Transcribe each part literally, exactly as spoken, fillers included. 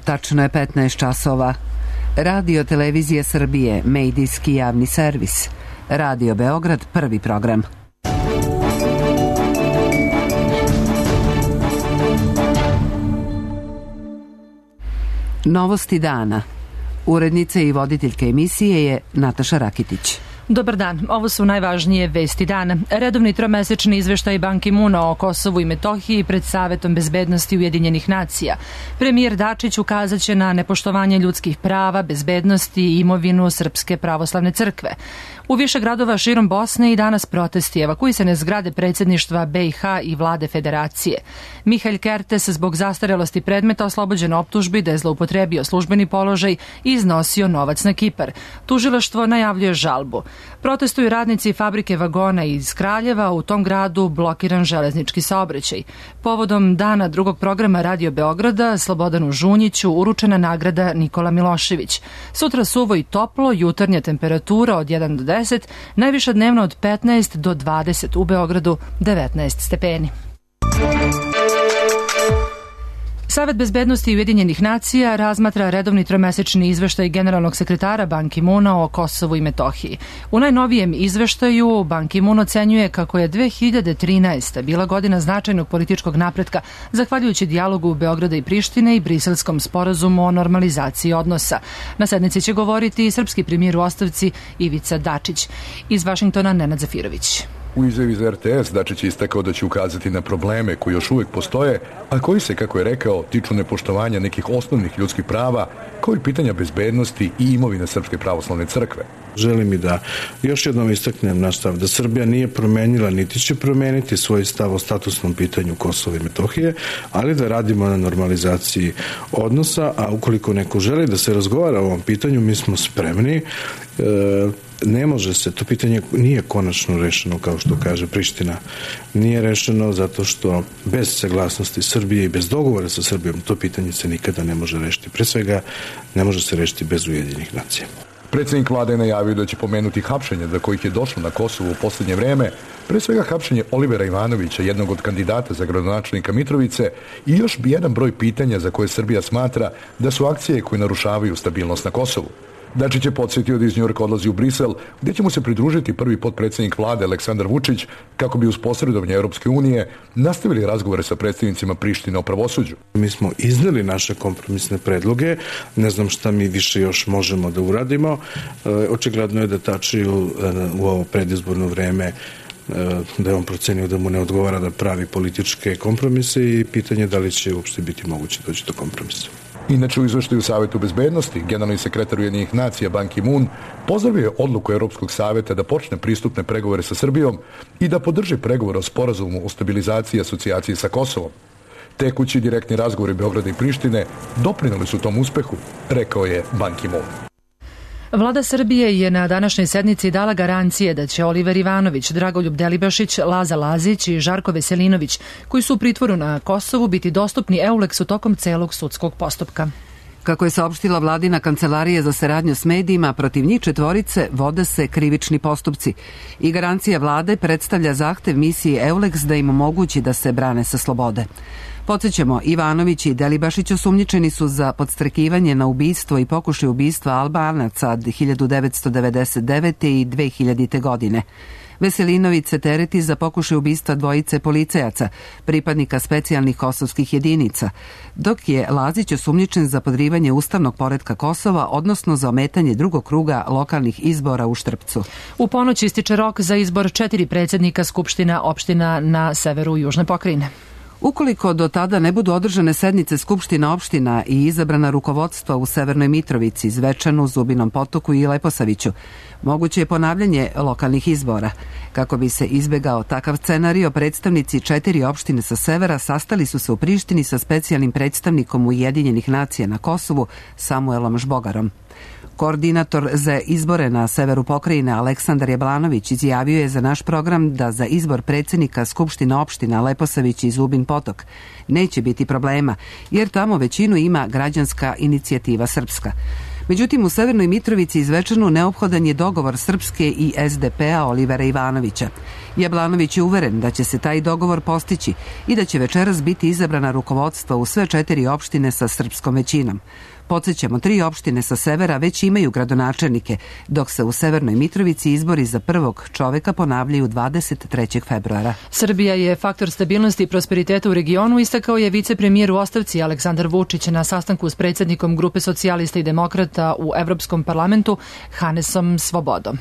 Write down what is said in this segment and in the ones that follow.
Tačno je petnaest časova. Radio Televizije Srbije, medijski javni servis. Radio Beograd, prvi program. Novosti dana. Urednica i voditeljka emisije je Nataša Rakitić. Dobar dan, ovo su najvažnije vesti dana. Redovni tromesečni izveštaj Ban Ki-moona o Kosovu i Metohiji pred Savetom bezbednosti Ujedinjenih nacija. Premijer Dačić ukazat će na nepoštovanje ljudskih prava, bezbednosti i imovinu Srpske pravoslavne crkve. U više gradova širom Bosne i danas protesti, evakuisane zgrade predsjedništva B i H i vlade federacije. Mihail Kertes zbog zastarelosti predmeta oslobođen optužbi da je zloupotrebio službeni položaj i iznosio novac na Kipar. Tužilaštvo najavljuje žalbu. Protestuju radnici fabrike vagona iz Kraljeva, u tom gradu blokiran železnički saobraćaj. Povodom dana drugog programa Radio Beograda Slobodanu Žunjiću uručena nagrada Nikola Milošević. Sutra suvo i toplo, jutarnja temperatura od jedan do deset, najviša dnevno od petnaest do dvadeset, u Beogradu devetnaest stepeni. Savet bezbednosti Ujedinjenih nacija razmatra redovni tromesečni izveštaj generalnog sekretara Ban Ki-moona o Kosovu i Metohiji. U najnovijem izveštaju Ban Ki-moon ocenjuje kako je dve hiljade trinaesta. bila godina značajnog političkog napretka zahvaljujući dijalogu Beograda i Prištine i Briselskom sporazumu o normalizaciji odnosa. Na sednici će govoriti i srpski premijer u ostavci Ivica Dačić. Iz Vašingtona Nenad Zafirović. U izjavi za R T S Dačić je istakao da će ukazati na probleme koji još uvijek postoje, a koji se, kako je rekao, tiču nepoštovanja nekih osnovnih ljudskih prava, kao i pitanja bezbednosti i imovine Srpske pravoslavne crkve. Želim i da još jednom istaknem naš stav da Srbija nije promenila niti će promeniti svoj stav o statusnom pitanju Kosova i Metohije, ali da radimo na normalizaciji odnosa, a ukoliko neko želi da se razgovara o ovom pitanju, mi smo spremni. E, ne može se, to pitanje nije konačno rešeno, kao što kaže Priština. Nije rešeno zato što bez saglasnosti Srbije i bez dogovora sa Srbijom to pitanje se nikada ne može rešiti. Pre svega, ne može se rešiti bez Ujedinjenih nacija. Predsjednik vlade je najavio da će pomenuti hapšenje do kojih je došlo na Kosovu u posljednje vreme, pre svega hapšenje Olivera Ivanovića, jednog od kandidata za gradonačelnika Mitrovice, i još bi jedan broj pitanja za koje Srbija smatra da su akcije koje narušavaju stabilnost na Kosovu. Dačić je podsjetio da iz Njujorka odlazi u Brisel, gdje će mu se pridružiti prvi potpredsjednik vlade Aleksandar Vučić, kako bi uz posredovanje Europske unije nastavili razgovore sa predstavnicima Prištine o pravosuđu. Mi smo izneli naše kompromisne predloge, ne znam šta mi više još možemo da uradimo. E, očigledno je da Tačiju u ovo predizborno vreme e, da je on procenio da mu ne odgovara da pravi političke kompromise i pitanje da li će uopšte biti moguće doći do kompromisa. Inače, u izveštaju Savetu bezbednosti, generalni sekretar Ujedinjenih nacija Ban Ki-moon pozdravio je odluku Europskog saveta da počne pristupne pregovore sa Srbijom i da podrži pregovore o sporazumu o stabilizaciji i asocijaciji sa Kosovom. Tekući direktni razgovori Beograda i Prištine doprineli su tom uspehu, rekao je Ban Ki-moon. Vlada Srbije je na današnjoj sednici dala garancije da će Oliver Ivanović, Dragoljub Delibašić, Laza Lazić i Žarko Veselinović, koji su u pritvoru na Kosovu, biti dostupni Euleksu tokom celog sudskog postupka. Kako je saopštila vladina kancelarija za saradnju s medijima, protiv njih četvorice vode se krivični postupci i garancija vlade predstavlja zahtev misiji Euleks da im omogući da se brane sa slobode. Podsjećamo, Ivanović i Delibašić osumnjičeni su za podstrekivanje na ubistvo i pokušaj ubistva Albanaca od hiljadu devetsto devedeset devete i dve hiljadite. godine. Veselinović se tereti za pokušaj ubistva dvojice policajaca, pripadnika specijalnih kosovskih jedinica, dok je Lazić osumnjičen za podrivanje ustavnog poretka Kosova, odnosno za ometanje drugog kruga lokalnih izbora u Štrpcu. U ponoć ističe rok za izbor četiri predsjednika Skupština opština na severu Južne pokrajine. Ukoliko do tada ne budu održane sednice Skupština opština i izabrana rukovodstva u Severnoj Mitrovici, Zvečanu, Zubinom Potoku i Leposaviću, moguće je ponavljanje lokalnih izbora. Kako bi se izbegao takav scenario, predstavnici četiri opštine sa severa sastali su se u Prištini sa specijalnim predstavnikom Ujedinjenih nacija na Kosovu, Samuelom Žbogarom. Koordinator za izbore na severu pokrajine Aleksandar Jablanović izjavio je za naš program da za izbor predsjednika Skupština opština Leposavić i Zubin Potok neće biti problema, jer tamo većinu ima građanska inicijativa Srpska. Međutim, u Severnoj Mitrovici i Zvečanu neophodan je dogovor Srpske i es de pe-a Olivera Ivanovića. Jablanović je uveren da će se taj dogovor postići i da će večeras biti izabrana rukovodstva u sve četiri opštine sa srpskom većinom. Podsjećamo, tri opštine sa severa već imaju gradonačelnike, dok se u Severnoj Mitrovici izbori za prvog čoveka ponavljaju dvadeset trećeg februara. Srbija je faktor stabilnosti i prosperiteta u regionu, istakao je vicepremijer u ostavci Aleksandar Vučić na sastanku s predsjednikom Grupe socijalista i demokrata u Evropskom parlamentu Hanesom Svobodom.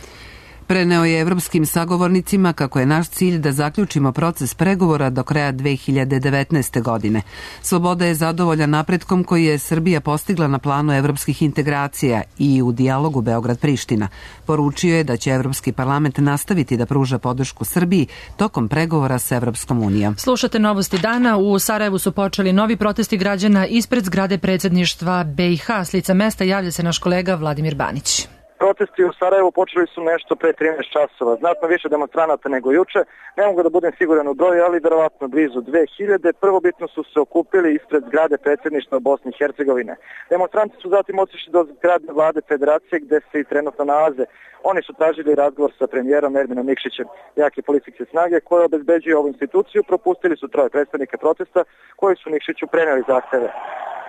Preneo je evropskim sagovornicima kako je naš cilj da zaključimo proces pregovora do kraja dve hiljade devetnaeste. godine. Svoboda je zadovoljan napretkom koji je Srbija postigla na planu evropskih integracija i u dijalogu Beograd-Priština. Poručio je da će Evropski parlament nastaviti da pruža podršku Srbiji tokom pregovora s Evropskom unijom. Slušate novosti dana. U Sarajevu su počeli novi protesti građana ispred zgrade predsjedništva be i ha. S lica mesta javlja se naš kolega Vladimir Banić. Protesti u Sarajevu počeli su nešto pre trinaest časova, znatno više demonstranata nego juče, ne mogu da budem siguran u broju, ali verovatno blizu dve hiljade. Prvobitno su se okupili ispred zgrade predsjedništva Bosne i Hercegovine. Demonstranti su zatim otišli do zgrade vlade federacije gde se i trenutno nalaze. Oni su tražili razgovor sa premijerom Erminom Nikšićem, jake policijske snage koje obezbeđuju ovu instituciju. Propustili su troje predstavnika protesta koji su Nikšiću preneli zahteve.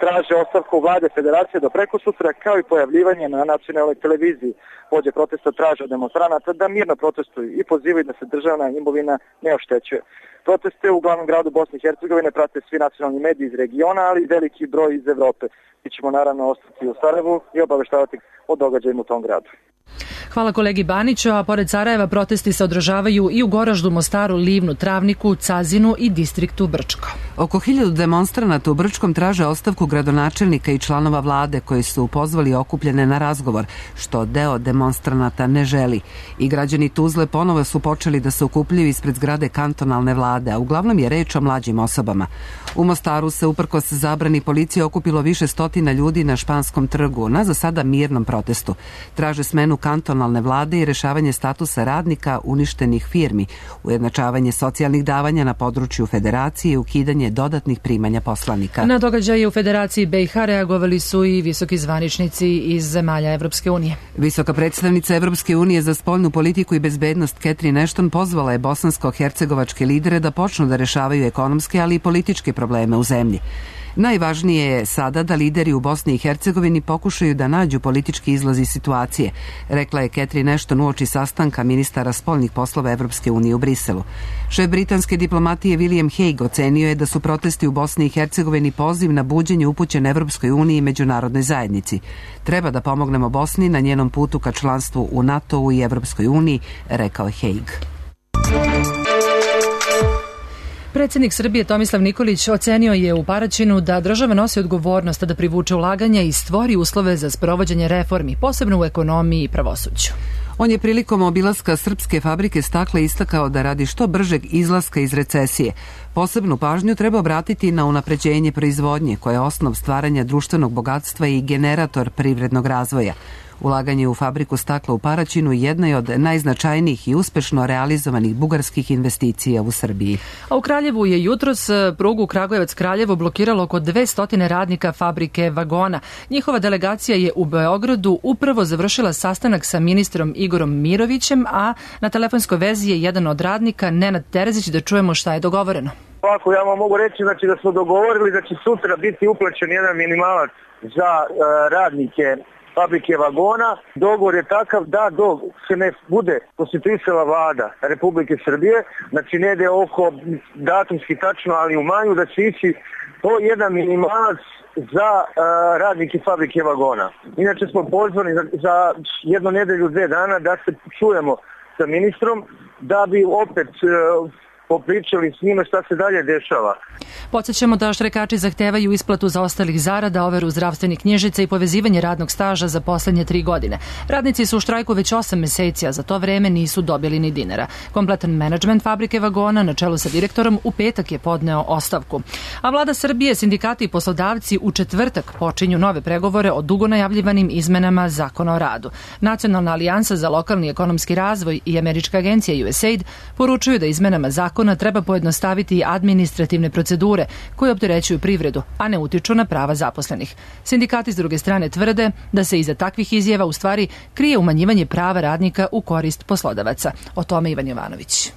Traže ostavku vlade federacije do prekosutra, kao i pojavljivanje na nacionalnoj televiziji. Vođe protesta traže od demonstranata da mirno protestuju i pozivaju da se državna imovina ne oštećuje. Proteste u glavnom gradu Bosne i Hercegovine prate svi nacionalni mediji iz regiona, ali i veliki broj iz Evrope. Mi ćemo naravno ostati u Sarajevu i obaveštavati o događajima u tom gradu. Hvala kolegi Baniću, a pored Sarajeva protesti se održavaju i u Goraždu, Mostaru, Livnu, Travniku, Cazinu i distriktu Brčko. Oko hiljadu demonstranata u Brčkom traže ostavku gradonačelnika i članova vlade koji su pozvali okupljene na razgovor, što deo demonstranata ne želi. I građani Tuzle ponovo su počeli da se okupljaju ispred zgrade kantonalne vlade, a uglavnom je reč o mlađim osobama. U Mostaru se uprkos zabrani policije okupilo više stotina ljudi na Španskom trgu na za sada mirnom protestu. Traže smenu kantonalne vlade i rešavanje statusa radnika uništenih firmi, ujednačavanje socijalnih davanja na području federacije i ukidanje dodatnih primanja poslanika. Na događaje u Federaciji be i ha reagovali su i visoki zvaničnici iz zemalja Evropske unije. Visoka predstavnica Evropske unije za spoljnu politiku i bezbednost Catherine Ashton pozvala je bosansko-hercegovačke lidere da počnu da rešavaju ekonomske, ali i političke probleme u zemlji. Najvažnije je sada da lideri u Bosni i Hercegovini pokušaju da nađu politički izlaz iz situacije, rekla je Catherine Ashton uoči sastanka ministara spoljnih poslova Evropske unije u Briselu. Šef britanske diplomatije William Hague ocenio je da su protesti u Bosni i Hercegovini poziv na buđenje upućen Evropskoj uniji i međunarodnoj zajednici. Treba da pomognemo Bosni na njenom putu ka članstvu u NATO-u i Evropskoj uniji, rekao je Hague. Predsjednik Srbije Tomislav Nikolić ocenio je u Paraćinu da država nosi odgovornost da privuče ulaganja i stvori uslove za sprovođenje reformi, posebno u ekonomiji i pravosuđu. On je prilikom obilaska srpske fabrike stakla istakao da radi što bržeg izlaska iz recesije. Posebnu pažnju treba obratiti na unapređenje proizvodnje, koja je osnov stvaranja društvenog bogatstva i generator privrednog razvoja. Ulaganje u fabriku stakla u Paraćinu jedna je od najznačajnijih i uspešno realizovanih bugarskih investicija u Srbiji. A u Kraljevu je jutros prugu Kragujevac-Kraljevo blokiralo oko dvesta radnika fabrike vagona. Njihova delegacija je u Beogradu upravo završila sastanak sa ministrom Igorom Mirovićem, a na telefonskoj vezi je jedan od radnika, Nenad Terezić, da čujemo šta je dogovoreno. Ovako, ja vam mogu reći znači, da smo dogovorili da će sutra biti uplaćen jedan minimalac za uh, radnike fabrike vagona. Dogovor je takav da dok se ne bude konstituisala vlada Republike Srbije, znači ne ide oko datumski tačno, ali u maju, da će ići to jedan minimalac za uh, radnike fabrike vagona. Inače smo pozvani za, za jednu nedelju, dve dana da se čujemo sa ministrom, da bi opet uh, popričali s njima šta se dalje dešava. Podsjećamo da štrajkači zahtevaju isplatu zaostalih zarada, overu zdravstvenih knjižica i povezivanje radnog staža za poslednje tri godine. Radnici su u štrajku već osam meseci, a za to vreme nisu dobili ni dinara. Kompletan menadžment fabrike vagona na čelu sa direktorom u petak je podneo ostavku. A vlada Srbije, sindikati i poslodavci u četvrtak počinju nove pregovore o dugo najavljivanim izmenama Zakona o radu. Nacionalna alijansa za lokalni ekonomski razvoj i američka agencija U S A I D poručuju da izmenama zakona zakona treba pojednostaviti administrativne procedure koje opterećuju privredu, a ne utiču na prava zaposlenih. Sindikati s druge strane tvrde da se iza takvih izjava u stvari krije umanjivanje prava radnika u korist poslodavaca. O tome Ivan Jovanović.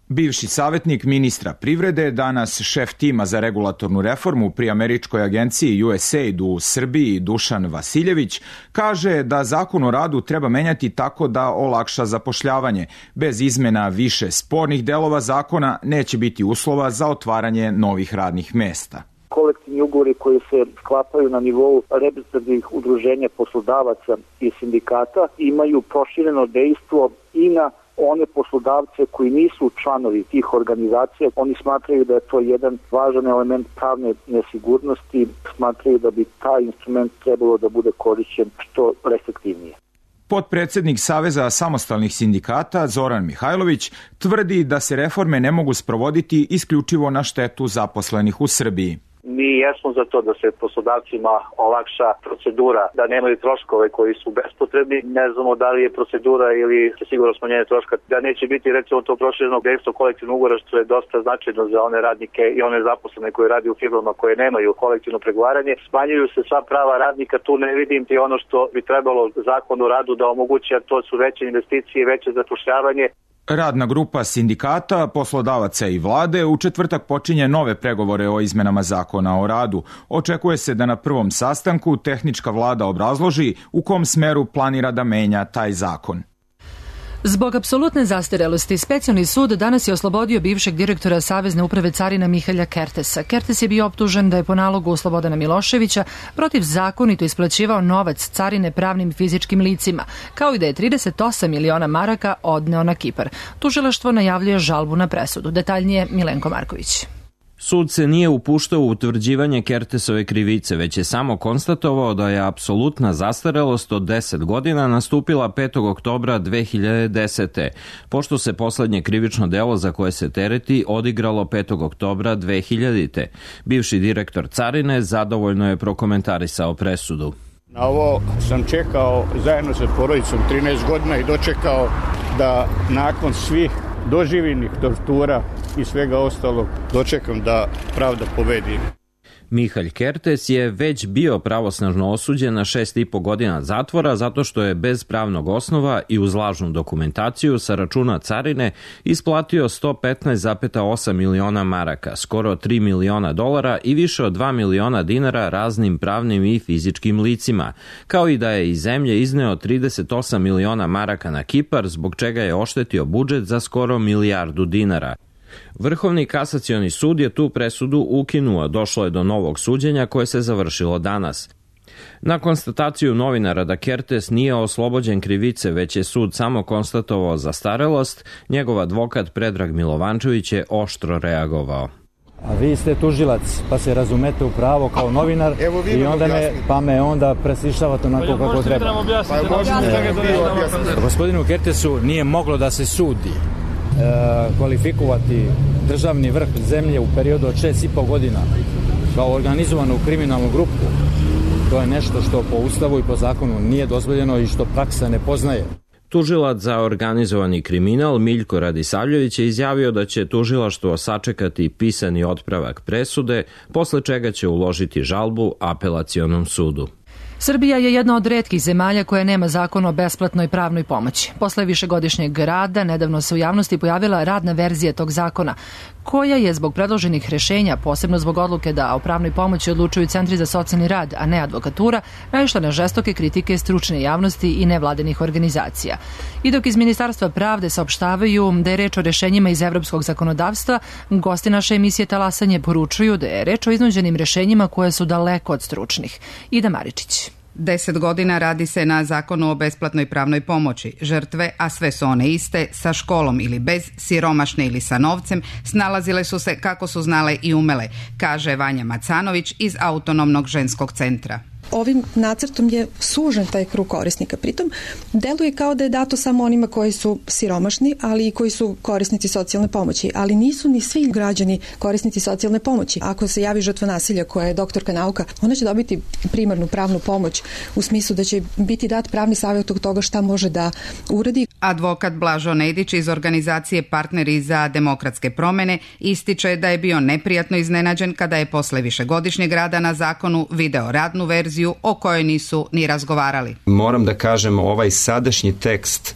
Bivši savjetnik ministra privrede, danas šef tima za regulatornu reformu pri američkoj agenciji U S A I D u Srbiji, Dušan Vasiljević, kaže da zakon o radu treba menjati tako da olakša zapošljavanje. Bez izmena više spornih delova zakona neće biti uslova za otvaranje novih radnih mesta. Kolektivni ugovori koji se sklapaju na nivou reprezentativnih udruženja poslodavaca i sindikata imaju prošireno dejstvo i na one poslodavce koji nisu članovi tih organizacija. Oni smatraju da je to jedan važan element pravne nesigurnosti, smatraju da bi taj instrument trebalo da bude korišćen što restriktivnije. Potpredsednik Saveza samostalnih sindikata Zoran Mihajlović tvrdi da se reforme ne mogu sprovoditi isključivo na štetu zaposlenih u Srbiji. Mi jesmo za to da se poslodavcima olakša procedura, da nemaju troškove koji su bespotrebni. Ne znamo da li je procedura ili sigurno smanjenje troška, da neće biti recimo to prošireno dejstvo kolektivnog ugovora, što je dosta značajno za one radnike i one zaposlene koji radi u firmama koje nemaju kolektivno pregovaranje. Smanjuju se sva prava radnika, tu ne vidim ti ono što bi trebalo zakon o radu da omogući, a to su veće investicije, veće zapošljavanje. Radna grupa sindikata, poslodavaca i vlade u četvrtak počinje nove pregovore o izmenama zakona o radu. Očekuje se da na prvom sastanku tehnička vlada obrazloži u kom smeru planira da menja taj zakon. Zbog apsolutne zastarelosti, Specijalni sud danas je oslobodio bivšeg direktora Savezne uprave carina Mihalja Kertesa. Kertes je bio optužen da je po nalogu Slobodana Miloševića protivzakonito isplaćivao novac carine pravnim i fizičkim licima, kao i da je trideset osam miliona maraka odneo na Kipar. Tužilaštvo najavljuje žalbu na presudu. Detaljnije Milenko Marković. Sud se nije upuštao u utvrđivanje Kertesove krivice, već je samo konstatovao da je apsolutna zastarelost od deset godina nastupila petog oktobra dve hiljade desete. Pošto se poslednje krivično delo za koje se tereti odigralo petog oktobra dve hiljadite. Bivši direktor carine zadovoljno je prokomentarisao presudu. Na ovo sam čekao zajedno sa porodicom trinaest godina i dočekao da nakon svih doživljenih tortura i svega ostalog dočekam da pravda pobedi. Mihalj Kertes je već bio pravosnažno osuđen na šest i po godina zatvora zato što je bez pravnog osnova i uz lažnu dokumentaciju sa računa carine isplatio sto petnaest zarez osam miliona maraka, skoro tri miliona dolara i više od dva miliona dinara raznim pravnim i fizičkim licima, kao i da je iz zemlje izneo trideset osam miliona maraka na Kipar, zbog čega je oštetio budžet za skoro milijardu dinara. Vrhovni kasacioni sud je tu presudu ukinuo, došlo je do novog suđenja koje se završilo danas. Na konstataciju novinara da Kertes nije oslobođen krivice, već je sud samo konstatovao zastarelost, njegov advokat Predrag Milovančević je oštro reagovao. A vi ste tužilac, pa se razumete u pravo kao novinar i onda me, pa me onda preslišavate onako kako treba. E, gospodinu Kertesu nije moglo da se sudi. E, kvalifikovati državni vrh zemlje u periodu od šest i po godina kao organizovanu kriminalnu grupu, to je nešto što po ustavu i po zakonu nije dozvoljeno i što praksa ne poznaje. Tužilac za organizovani kriminal Miljko Radisavljević je izjavio da će tužilaštvo sačekati pisani otpravak presude, posle čega će uložiti žalbu apelacionom sudu. Srbija je jedna od retkih zemalja koja nema zakon o besplatnoj pravnoj pomoći. Posle višegodišnjeg rada, nedavno se u javnosti pojavila radna verzija tog zakona, koja je zbog predloženih rešenja, posebno zbog odluke da o pravnoj pomoći odlučuju centri za socijalni rad, a ne advokatura, naišla na žestoke kritike stručne javnosti i nevladinih organizacija. I dok iz Ministarstva pravde saopštavaju da je reč o rešenjima iz evropskog zakonodavstva, gosti naše emisije Talasanje poručuju da je reč o iznuđenim rešenjima koje su daleko od stručnih. Ida Maričić. Deset godina radi se na zakonu o besplatnoj pravnoj pomoći. Žrtve, a sve su one iste, sa školom ili bez, siromašne ili sa novcem, snalazile su se kako su znale i umele, kaže Vanja Macanović iz Autonomnog ženskog centra. Ovim nacrtom je sužen taj krug korisnika. Pritom deluje kao da je dato samo onima koji su siromašni, ali i koji su korisnici socijalne pomoći, ali nisu ni svi građani korisnici socijalne pomoći. Ako se javi žrtva nasilja koja je doktorka nauka, ona će dobiti primarnu pravnu pomoć u smislu da će biti dat pravni savjet od toga šta može da uradi. Advokat Blažo Nedić iz organizacije Partneri za demokratske promene ističe da je bio neprijatno iznenađen kada je posle višegodišnjeg rada na zakonu video radnu verziju o kojoj nisu ni razgovarali. Moram da kažem, ovaj sadašnji tekst,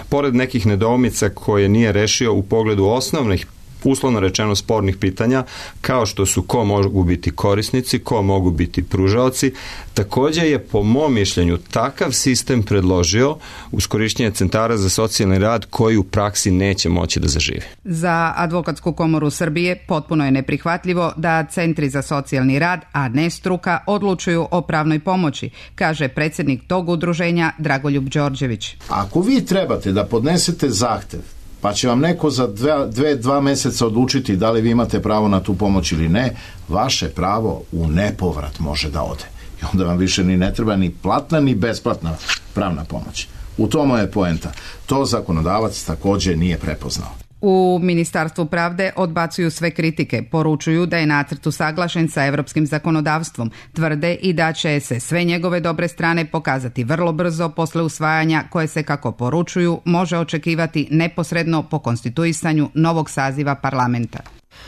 pored nekih nedoumica koje nije rešio u pogledu osnovnih, uslovno rečeno spornih pitanja, kao što su ko mogu biti korisnici, ko mogu biti pružaoci, također je po mom mišljenju takav sistem predložio uz korišćenje centara za socijalni rad koji u praksi neće moći da zaživi. Za Advokatsku komoru Srbije potpuno je neprihvatljivo da centri za socijalni rad, a ne struka, odlučuju o pravnoj pomoći, kaže predsjednik tog udruženja Dragoljub Đorđević. Ako vi trebate da podnesete zahtev, pa će vam neko za dve, dve, dva meseca odlučiti da li vi imate pravo na tu pomoć ili ne, vaše pravo u nepovrat može da ode. I onda vam više ni ne treba ni platna ni besplatna pravna pomoć. U tomu je poenta. To zakonodavac također nije prepoznao. U Ministarstvu pravde odbacuju sve kritike, poručuju da je nacrt usaglašen sa evropskim zakonodavstvom, tvrde i da će se sve njegove dobre strane pokazati vrlo brzo posle usvajanja koje se, kako poručuju, može očekivati neposredno po konstituisanju novog saziva parlamenta.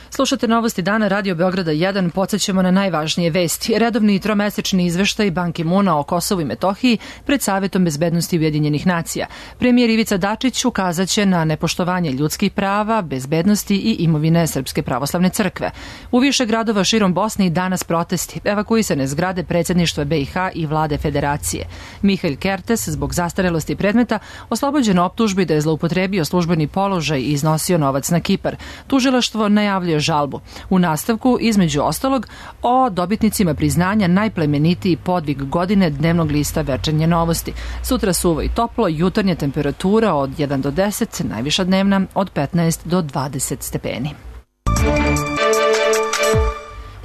Slušate Novosti dana Radio Beograda jedan, podsjećamo na najvažnije vesti. Redovni tromesečni izveštaj Ban Ki-moona o Kosovu i Metohiji pred Savetom bezbednosti Ujedinjenih nacija. Premijer Ivica Dačić ukazaće na nepoštovanje ljudskih prava, bezbednosti i imovine Srpske pravoslavne crkve. U više gradova širom Bosne i danas protesti, evakuisane zgrade predsjedništva B i H i vlade federacije. Mihail Kertes, zbog zastarelosti predmeta, oslobođen optužbi da je zloupotrebio službeni položaj i iznosio novac na Kipar. Tužilaštvo najavljuje žalbu. U nastavku, između ostalog, o dobitnicima priznanja najplemenitiji podvig godine dnevnog lista Večernje novosti. Sutra suvo i toplo, jutarnja temperatura od jedan do deset, najviša dnevna od petnaest do dvadeset stepeni.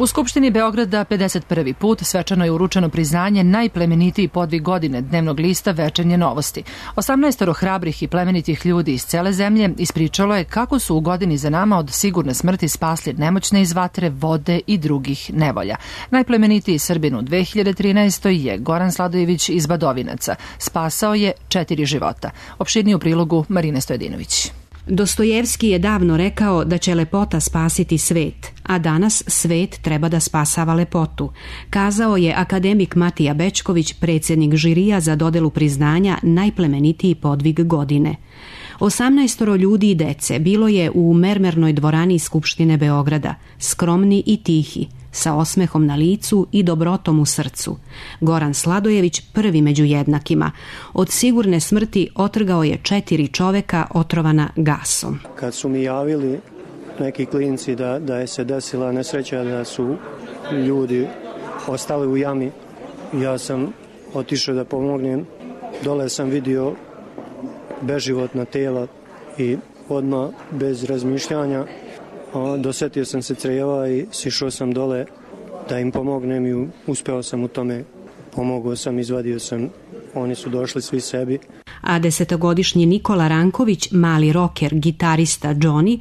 U Skupštini Beograda pedeset prvi put svečano je uručeno priznanje najplemenitiji podvig godine dnevnog lista Večernje novosti. osamnaestoro hrabrih i plemenitih ljudi iz cele zemlje ispričalo je kako su u godini za nama od sigurne smrti spasli nemoćne iz vatre, vode i drugih nevolja. Najplemenitiji Srbin u dve hiljade trinaestoj. je Goran Sladojević iz Badovinaca. Spasao je četiri života. Opširnije u prilogu Marine Stojedinović. Dostojevski je davno rekao da će lepota spasiti svet, a danas svet treba da spasava lepotu, kazao je akademik Matija Bečković, predsjednik žirija za dodelu priznanja najplemenitiji podvig godine. Osamnaestoro ljudi i dece bilo je u mermernoj dvorani Skupštine Beograda, skromni i tihi, sa osmehom na licu i dobrotom u srcu. Goran Sladojević prvi među jednakima. Od sigurne smrti otrgao je četiri čoveka otrovana gasom. Kad su mi javili neki klinci da, da je se desila nesreća, da su ljudi ostali u jami, ja sam otišao da pomognem. Dole sam vidio beživotna tela i odmah bez razmišljanja dosetio sam se creva i sišao sam dole da im pomognem i uspeo sam u tome. Pomogao sam, izvadio sam, oni su došli svi sebi. A desetogodišnji Nikola Ranković, mali roker, gitarista Johnny,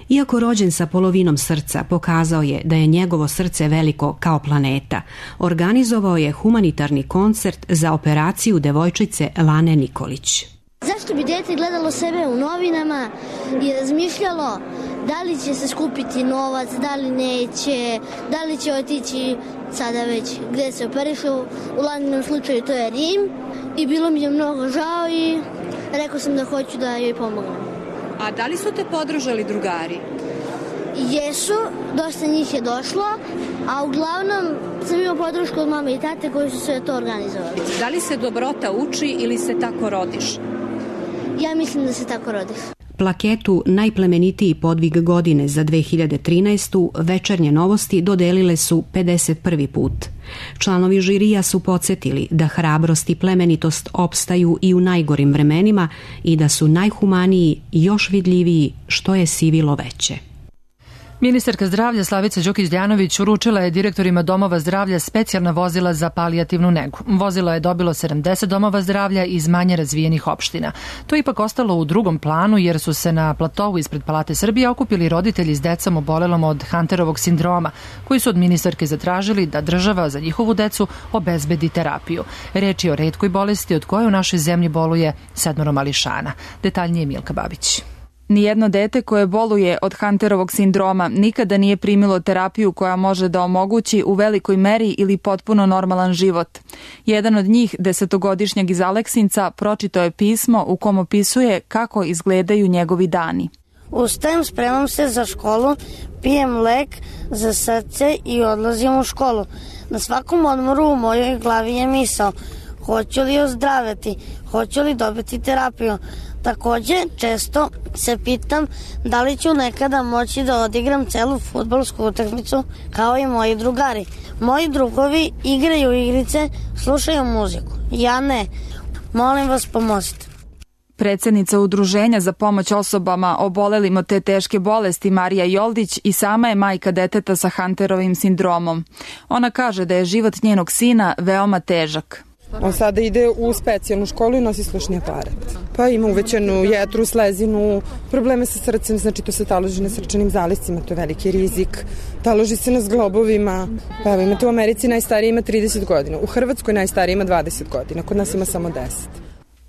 iako rođen sa polovinom srca, pokazao je da je njegovo srce veliko kao planeta. Organizovao je humanitarni koncert za operaciju devojčice Lane Nikolić. Zašto bi dete gledalo sebe u novinama i razmišljalo da li će se skupiti novac, da li neće, da li će otići sada već gde se operišu. U Laninom slučaju to je Rim i bilo mi je mnogo žao i rekao sam da hoću da joj pomognem. A da li su te podržali drugari? Jesu, dosta njih je došlo, a uglavnom sam imao podršku od mame i tate koji su sve to organizovali. Da li se dobrota uči ili se tako rodiš? Ja mislim da se tako rodiš. Plaketu najplemenitiji podvig godine za dve hiljade trinaestu. Večernje novosti dodelile su pedeset prvi put. Članovi žirija su podsjetili da hrabrost i plemenitost opstaju i u najgorim vremenima i da su najhumaniji još vidljiviji što je sivilo veće. Ministarka zdravlja Slavica Đukić-Djanović uručila je direktorima domova zdravlja specijalna vozila za palijativnu negu. Vozilo je dobilo sedamdeset domova zdravlja iz manje razvijenih opština. To je ipak ostalo u drugom planu jer su se na platovu ispred Palate Srbije okupili roditelji s decom obolelom od Hunterovog sindroma, koji su od ministarke zatražili da država za njihovu decu obezbedi terapiju. Reč je o retkoj bolesti od koje u našoj zemlji boluje sedmoro mališana. Detaljnije Milka Babić. Nijedno dete koje boluje od Hunterovog sindroma nikada nije primilo terapiju koja može da omogući u velikoj meri ili potpuno normalan život. Jedan od njih, desetogodišnjeg iz Aleksinca, pročitao je pismo u kom opisuje kako izgledaju njegovi dani. Ustajem, spremam se za školu, pijem lek za srce i odlazim u školu. Na svakom odmoru u mojoj glavi je misao: hoću li ozdraviti, hoću li dobiti terapiju. Takođe, često se pitam da li ću nekada moći da odigram celu fudbalsku utakmicu kao i moji drugari. Moji drugovi igraju igrice, slušaju muziku. Ja ne. Molim vas, pomozite. Predsednica Udruženja za pomoć osobama obolelim od te teške bolesti Marija Joldić i sama je majka deteta sa Hunterovim sindromom. Ona kaže da je život njenog sina veoma težak. On sada ide u specijalnu školu i nosi slušni aparat. Pa ima uvećanu jetru, slezinu, probleme sa srcem, znači to se taloži na srčanim zaliscima, to je veliki rizik. Taloži se na zglobovima. Pa evo, imate u Americi najstariji ima trideset godina, u Hrvatskoj najstariji ima dvadeset godina, kod nas ima samo deset.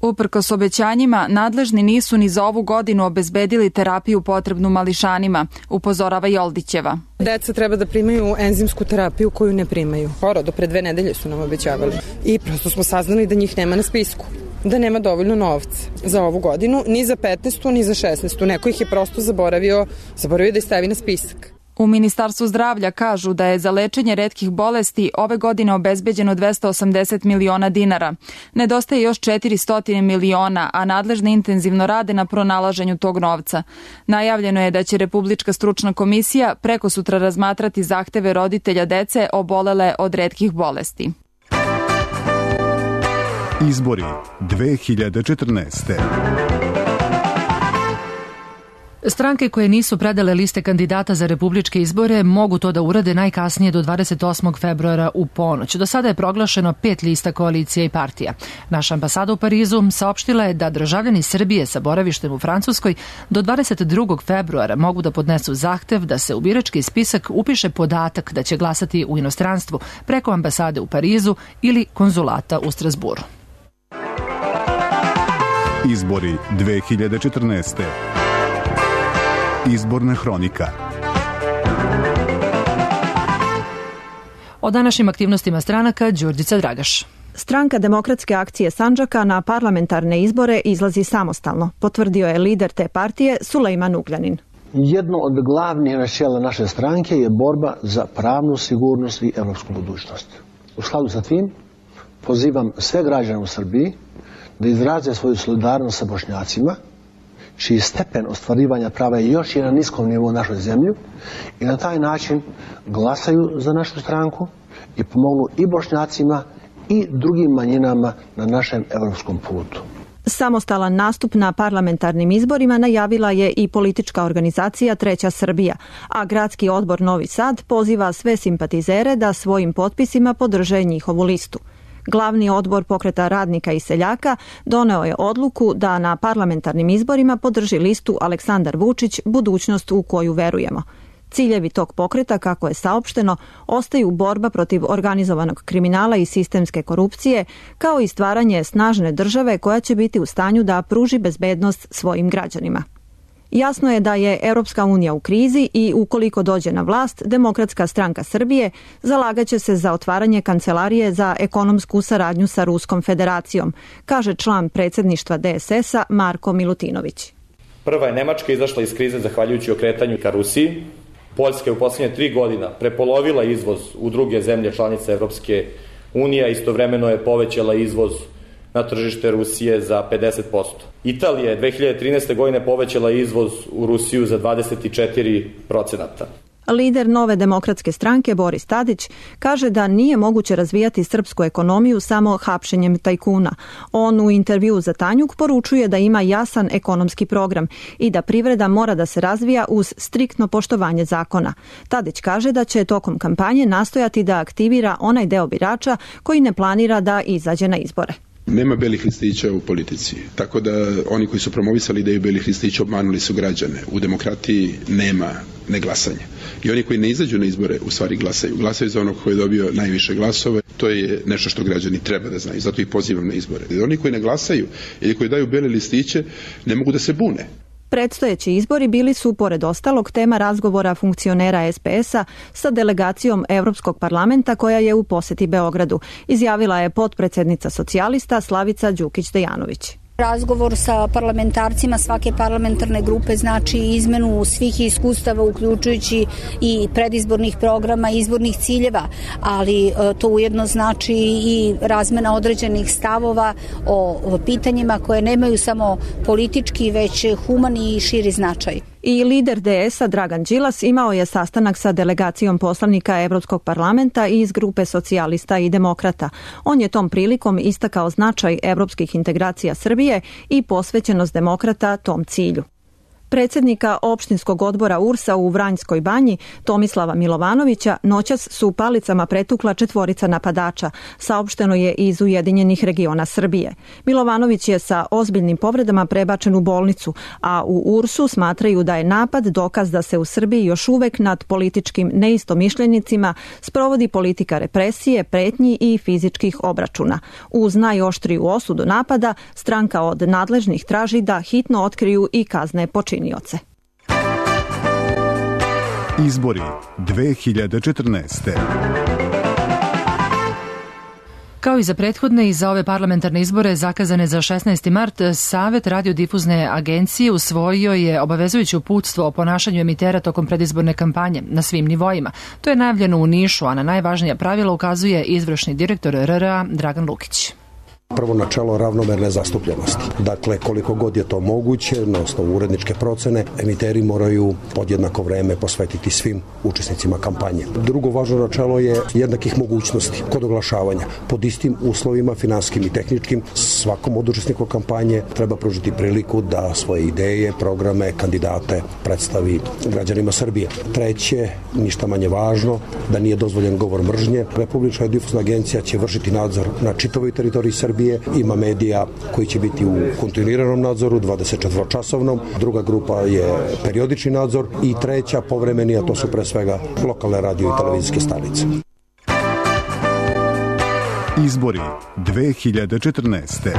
Uprkos obećanjima, nadležni nisu ni za ovu godinu obezbedili terapiju potrebnu mališanima, upozorava Joldićeva. Deca treba da primaju enzimsku terapiju koju ne primaju. Skoro, do pre dve nedelje su nam obećavali. I prosto smo saznali da njih nema na spisku. Da nema dovoljno novca za ovu godinu, ni za petnaestu, ni za šesnaestu. Neko ih je prosto zaboravio, zaboravio da ih stavi na spisak. U Ministarstvu zdravlja kažu da je za lečenje retkih bolesti ove godine obezbeđeno dvesta osamdeset miliona dinara. Nedostaje još četiristo miliona, a nadležni intenzivno rade na pronalaženju tog novca. Najavljeno je da će Republička stručna komisija preko sutra razmatrati zahteve roditelja dece obolele od retkih bolesti. Izbori dve hiljade četrnaeste. Stranke koje nisu predale liste kandidata za republičke izbore mogu to da urade najkasnije do dvadeset osmog februara u ponoć. Do sada je proglašeno pet lista koalicija i partija. Naša ambasada u Parizu saopštila je da državljani Srbije sa boravištem u Francuskoj do dvadeset drugog februara mogu da podnesu zahtev da se u birački spisak upiše podatak da će glasati u inostranstvu preko ambasade u Parizu ili konzulata u Strasburu. Izbori dve hiljade četrnaeste. Izborna hronika. O današnjim aktivnostima stranaka Đurđica Dragaš. Stranka Demokratske akcije Sandžaka na parlamentarne izbore izlazi samostalno, potvrdio je lider te partije Sulejman Ugljanin. Jedno od glavnih načela naše stranke je borba za pravnu sigurnost i evropsku budućnost. U skladu sa tim pozivam sve građane u Srbiji da izraze svoju solidarnost sa Bošnjacima, čiji stepen ostvarivanja prava je još i na niskom nivou u našoj zemlji, i na taj način glasaju za našu stranku i pomognu i Bošnjacima i drugim manjinama na našem evropskom putu. Samostalan nastup na parlamentarnim izborima najavila je i politička organizacija Treća Srbija, a gradski odbor Novi Sad poziva sve simpatizere da svojim potpisima podrže njihovu listu. Glavni odbor Pokreta radnika i seljaka doneo je odluku da na parlamentarnim izborima podrži listu Aleksandar Vučić, budućnost u koju verujemo. Ciljevi tog pokreta, kako je saopšteno, ostaju borba protiv organizovanog kriminala i sistemske korupcije, kao i stvaranje snažne države koja će biti u stanju da pruži bezbednost svojim građanima. Jasno je da je Europska unija u krizi i ukoliko dođe na vlast, Demokratska stranka Srbije zalagaće se za otvaranje kancelarije za ekonomsku saradnju sa Ruskom federacijom, kaže član predsjedništva D S S-a Marko Milutinović. Prva je Nemačka izašla iz krize zahvaljujući okretanju ka Rusiji. Poljska je u posljednje tri godina prepolovila izvoz u druge zemlje članice Evropske unije, a istovremeno je povećala izvoz na tržište Rusije za pedeset posto. Italija je dve hiljade trinaeste. godine povećala izvoz u Rusiju za dvadeset četiri procenata. Lider Nove demokratske stranke Boris Tadić kaže da nije moguće razvijati srpsku ekonomiju samo hapšenjem tajkuna. On u intervjuu za Tanjuk poručuje da ima jasan ekonomski program i da privreda mora da se razvija uz striktno poštovanje zakona. Tadić kaže da će tokom kampanje nastojati da aktivira onaj deo birača koji ne planira da izađe na izbore. Nema belih listića u politici, tako da oni koji su promovisali ideju belih listića obmanuli su građane. U demokratiji nema neglasanja. I oni koji ne izađu na izbore u stvari glasaju. Glasaju za onog koji je dobio najviše glasove. To je nešto što građani treba da znaju. Zato ih pozivam na izbore. I oni koji ne glasaju ili koji daju bele listiće ne mogu da se bune. Predstojeći izbori bili su, pored ostalog, tema razgovora funkcionera es pe es-a sa delegacijom Evropskog parlamenta koja je u poseti Beogradu, izjavila je potpredsednica socijalista Slavica Đukić-Dejanović. Razgovor sa parlamentarcima svake parlamentarne grupe znači izmenu svih iskustava, uključujući i predizbornih programa, izbornih ciljeva, ali to ujedno znači i razmena određenih stavova o pitanjima koje nemaju samo politički, već humani i širi značaj. I lider de es-a Dragan Đilas imao je sastanak sa delegacijom poslanika Evropskog parlamenta iz grupe socijalista i demokrata. On je tom prilikom istakao značaj evropskih integracija Srbije i posvećenost demokrata tom cilju. Predsjednika opštinskog odbora U R S-a u Vranjskoj banji, Tomislava Milovanovića, noćas su palicama pretukla četvorica napadača, saopšteno je iz Ujedinjenih regiona Srbije. Milovanović je sa ozbiljnim povredama prebačen u bolnicu, a u U R S-u smatraju da je napad dokaz da se u Srbiji još uvek nad političkim neistomišljenicima sprovodi politika represije, pretnji i fizičkih obračuna. Uz najoštriju osudu napada, stranka od nadležnih traži da hitno otkriju i kazne počinioce. Izbori dve hiljade četrnaeste. Kao i za prethodne i za ove parlamentarne izbore zakazane za šesnaesti mart, Savet radiodifuzne agencije usvojio je obavezujuće uputstvo o ponašanju emitera tokom predizborne kampanje na svim nivoima. To je najavljeno u Nišu, a na najvažnija pravila ukazuje izvršni direktor er er a Dragan Lukić. Prvo načelo ravnomerne zastupljenosti. Dakle, koliko god je to moguće, na osnovu uredničke procene, emiteri moraju podjednako vreme posvetiti svim učesnicima kampanje. Drugo važno načelo je jednakih mogućnosti kod oglašavanja. Pod istim uslovima, finanskim i tehničkim, svakom od učesnika kampanje treba pružiti priliku da svoje ideje, programe, kandidate predstavi građanima Srbije. Treće, ništa manje važno, da nije dozvoljen govor mržnje. Republička radiodifuzna agencija će vršiti nadzor na čitavoj teritoriji Srbije. Ima medija koji će biti u kontinuiranom nadzoru, dvadesetčetvoročasovnom. Druga grupa je periodični nadzor i treća povremeni, a to su pre svega lokalne radio i televizijske stanice. Izbori dve hiljade četrnaeste.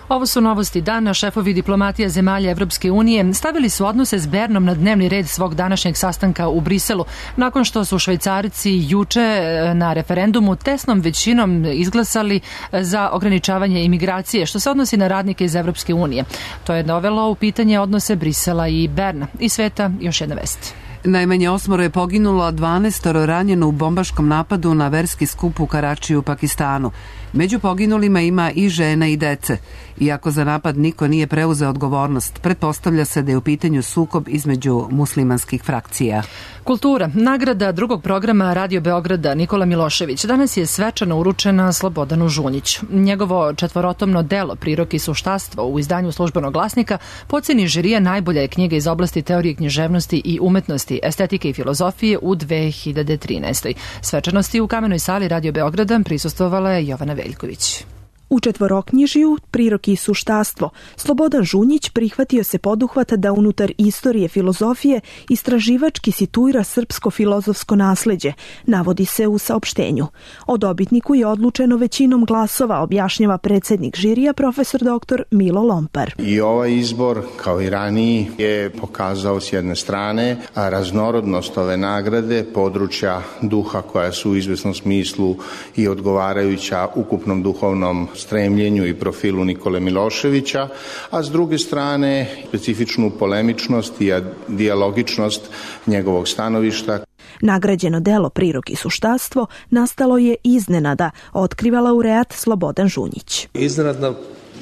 Ovo su novosti dana. Šefovi diplomatija zemalja Evropske unije stavili su odnose s Bernom na dnevni red svog današnjeg sastanka u Briselu, nakon što su Švajcarci juče na referendumu tesnom većinom izglasali za ograničavanje imigracije, što se odnosi na radnike iz Evropske unije. To je dovelo u pitanje odnose Brisela i Berna. I sveta još jedna vest. Najmanje osmoro je poginulo, a dvanaestoro ranjeno u bombaškom napadu na verski skup u Karačiju u Pakistanu. Među poginulima ima i žena i dece. Iako za napad niko nije preuzeo odgovornost, pretpostavlja se da je u pitanju sukob između muslimanskih frakcija. Kultura. Nagrada drugog programa Radio Beograda Nikola Milošević danas je svečano uručena Slobodanu Žunjiću. Njegovo četvorotomno delo Prirok i suštastvo u izdanju Službenog glasnika po oceni žirija najbolja je knjiga iz oblasti teorije književnosti i umetnosti, estetike i filozofije u dve hiljade trinaestoj. Svečanosti u Kamenoj sali Radio Beograda prisustvovala je Jovana Veljković. U četvoroknjižiju Prirok i suštastvo Slobodan Žunjić prihvatio se poduhvata da unutar istorije filozofije istraživački situira srpsko filozofsko nasleđe, navodi se u saopštenju. O dobitniku je odlučeno većinom glasova, objašnjava predsednik žirija profesor doktor Milo Lompar. I ovaj izbor, kao i raniji, je pokazao s jedne strane raznorodnost ove nagrade, područja duha koja su u izvesnom smislu i odgovarajuća ukupnom duhovnom stremljenju i profilu Nikole Miloševića, a s druge strane specifičnu polemičnost i dijalogičnost njegovog stanovišta. Nagrađeno delo Prirok i suštastvo nastalo je iznenada, otkriva laureat Slobodan Žunjić. Iznenadna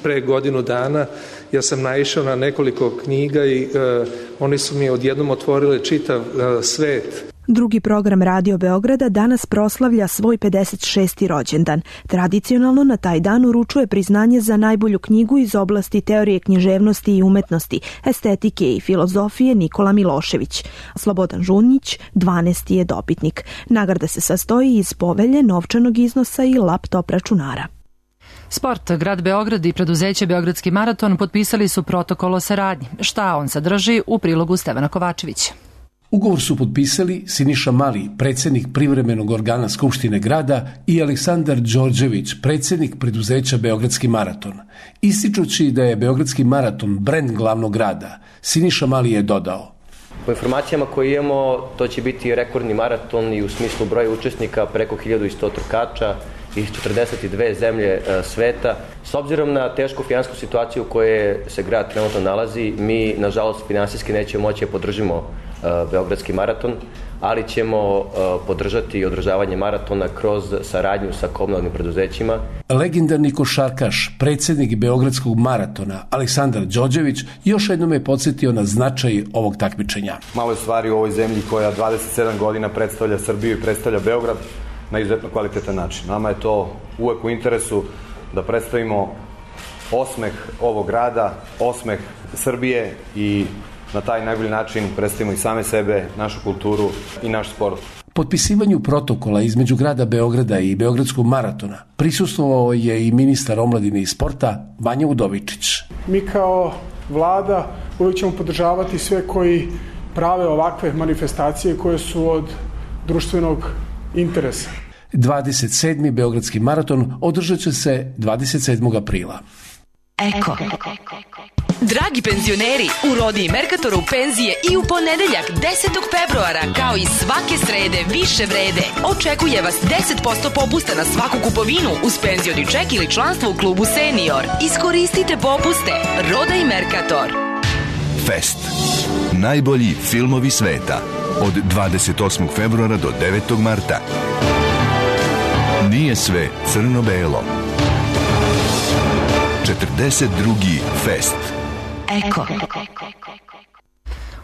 pre godinu dana ja sam naišao na nekoliko knjiga i uh, oni su mi odjednom otvorili čitav uh, svet. Drugi program Radio Beograda danas proslavlja svoj pedeset šesti rođendan. Tradicionalno na taj dan uručuje priznanje za najbolju knjigu iz oblasti teorije književnosti i umetnosti, estetike i filozofije Nikola Milošević. Slobodan Žunjić, dvanesti je dobitnik. Nagrada se sastoji iz povelje, novčanog iznosa i laptop računara. Sport, grad Beograd i preduzeće Beogradski maraton potpisali su protokol o saradnji. Šta on sadrži u prilogu Stevana Kovačevića. Ugovor su potpisali Siniša Mali, predsjednik privremenog organa Skupštine grada, i Aleksandar Đorđević, predsjednik preduzeća Beogradski maraton. Ističući da je Beogradski maraton brend glavnog grada, Siniša Mali je dodao: Po informacijama koje imamo, to će biti rekordni maraton i u smislu broja učesnika preko hiljadu sto trkača iz četrdeset dve zemlje sveta. S obzirom na tešku finansijsku situaciju u kojoj se grad trenutno nalazi, mi, nažalost, finansijski nećemo moći da podržimo Beogradski maraton, ali ćemo podržati održavanje maratona kroz saradnju sa komunalnim preduzećima. Legendarni košarkaš, predsjednik Beogradskog maratona, Aleksandar Đorđević, još jednom je podsjetio na značaj ovog takmičenja. Malo je stvari u ovoj zemlji koja dvadeset sedam godina predstavlja Srbiju i predstavlja Beograd na izuzetno kvalitetan način. Nama je to uvek u interesu da predstavimo osmeh ovog grada, osmeh Srbije i na taj najbolji način predstavimo i same sebe, našu kulturu i naš sport. Potpisivanju protokola između grada Beograda i Beogradskog maratona prisustvovao je i ministar omladine i sporta Vanja Udovičić. Mi kao vlada uvijek ćemo podržavati sve koji prave ovakve manifestacije koje su od društvenog interesa. dvadeset sedmi Beogradski maraton održat će se dvadeset sedmog aprila. Eko. Dragi penzioneri, u Rodi i Merkatoru penzije i u ponedeljak desetog februara, kao i svake srede više vrede. Očekuje vas deset posto popusta na svaku kupovinu uz penzioni ček ili članstvo u klubu Senior. Iskoristite popuste. Roda i Merkator. Fest. Najbolji filmovi sveta. Od dvadeset osmog februara do devetog marta. Nije sve crno-belo. četrdeset drugi Fest. Eko.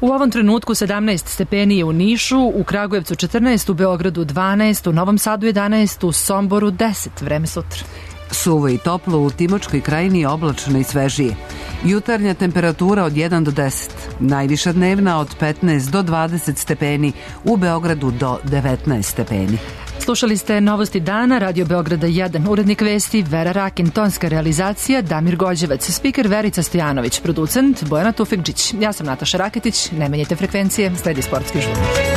U ovom trenutku sedamnaest stepeni je u Nišu, u Kragujevcu četrnaest, u Beogradu dvanaest, u Novom Sadu jedanaest, u Somboru deset. Vreme sutra. Suvo i toplo, u Timočkoj krajini oblačno i svežije. Jutarnja temperatura od jedan do deset. Najviša dnevna od petnaest do dvadeset stepeni, u Beogradu do devetnaest stepeni. Slušali ste Novosti dana, Radio Beograda jedan, urednik vesti Vera Rakin, tonska realizacija Damir Gođevac, spiker Verica Stojanović, producent Bojana Tufekđić. Ja sam Nataša Raketić, ne menjajte frekvencije, sledi sportski žurnak.